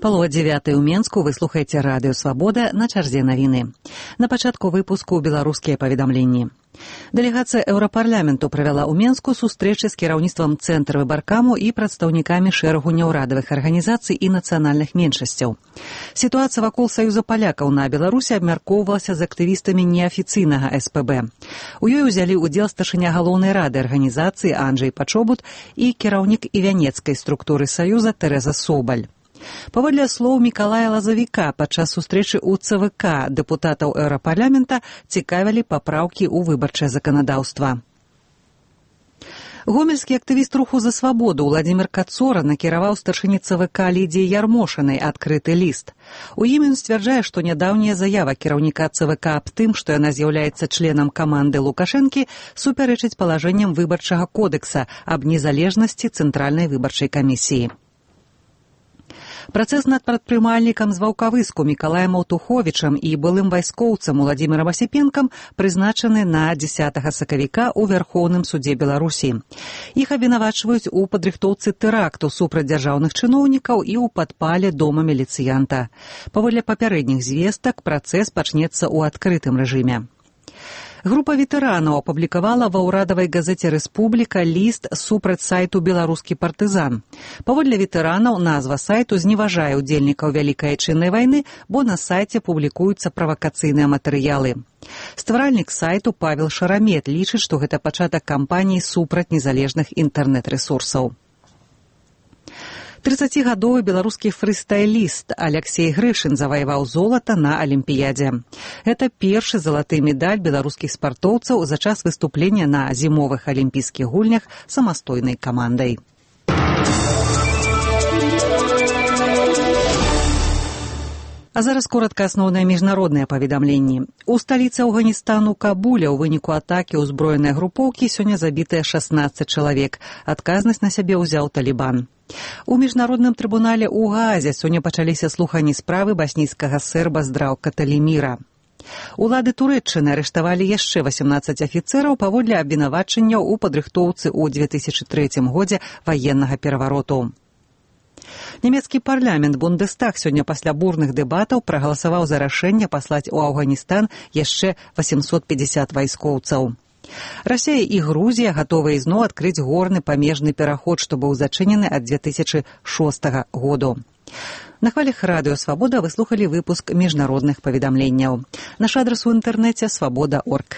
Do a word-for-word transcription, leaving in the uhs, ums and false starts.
Палова дзевятай у Менску, вы слухаеце радыё «Свабода», на чарзе навіны. На пачатку выпуску беларускія паведамленні. Дэлегацыя Еўрапарламенту правяла ў Менску сустрэчы з кіраўніцтвам цэнтра выбаркаму і прадстаўнікамі шэрагу няўрадавых арганізацый і нацыянальных меншасцяў. Сітуацыя вакол Саюза палякаў на Беларусі абмяркоўвалася з актывістамі неафіцыйнага эс пэ бэ. У ёй узялі ўдзел старшыня галоўнай рады арганізацыі Анджэй Пачобут і кіраўнік івянецкай структуры Саюза Тэрэза Собаль. Паводле слоў Мікалая Лазавіка, падчас сустрэчы ў цэ вэ ка дэпутатаў Еўрапарламента цікавілі папраўкі ў выбарчае заканадаўства. Гомельскі актывіст руху за свабоду Владзімір Кацора накіраваў старшыні цэ вэ ка Лідзіі Ярмошынай адкрыты ліст. У ім ён сцвярджае, што нядаўняя заява кіраўніка цэ вэ ка аб тым, што яна з'яўляецца членам каманды Лукашэнкі, супярэчыць палажэнням выбарчага кодекса аб незалежнасці Цэнтральнай выбарчай камісіі. Працэс над прадпрымальнікам з Ваўкавыску Мікалаем Аўтуховічам і былым вайскоўцам Уладзімірам Асіпенкам прызначаны на дзесятага сакавіка ў Вярхоўным судзе Беларусі. Іх абвінавачваюць у падрыхтоўцы тэракту супраць дзяржаўных чыноўнікаў і ў падпале дома міліцыянта. Паводле папярэдніх звестак працэс пачнецца ў адкрытым рэжыме. Група ветэранаў апублікавала ва ўрадавай газеце «Рэспубліка» ліст супраць сайту «Беларускі партызан». Паводле ветэранаў назва сайту зневажае ўдзельнікаў Вялікай Айчыннай вайны, бо на сайце публікуюцца правакацыйныя матэрыялы. Стваральнік сайту Павел Шарамет лічыць, што гэта пачатак кампаніі супраць незалежных інтэрнэт-рэсурсаў. трыццацігадовы беларускі фрыстайліст Аляксей Грышын заваяваў золата на Алімпіядзе. Гэта першы залаты медаль беларускіх спартоўцаў за час выступлення на зімовых алімпійскіх гульнях самастойнай камандай. А зараз коротка асноўныя міжнародныя паведамленні. У сталіцы Афганістану Кабуля ў выніку атакі ўзброенай групоўкі сёння забітыя шаснаццаць чалавек. Адказнасць на сябе ўзяў Талібан. У міжнародным трыбунале ў Гаазе сёння пачаліся слуханні справы баснійскага серба Здраўка Таліміра. Улады Турэччыны арыштавалі яшчэ васямнаццаць афіцэраў паводле абвінавачанняў у падрыхтоўцы ў две тысячы трэцім годзе ваеннага перавароту. Нямецкі парламент Бундестаг сёння пасля бурных дэбатаў прагаласаваў за рашэнне паслаць у Афганістан яшчэ васемсот пятьдесят вайскоўцаў. Расія і Грузія гатовыя ізноў адкрыць горны памежны пераход, што быў зачынены ад две тысячы шостага году. На хвалях радыё «Свабода» вы слухалі выпуск міжнародных паведамленняў. Наш адрас у інтэрнэце свабода точка орг.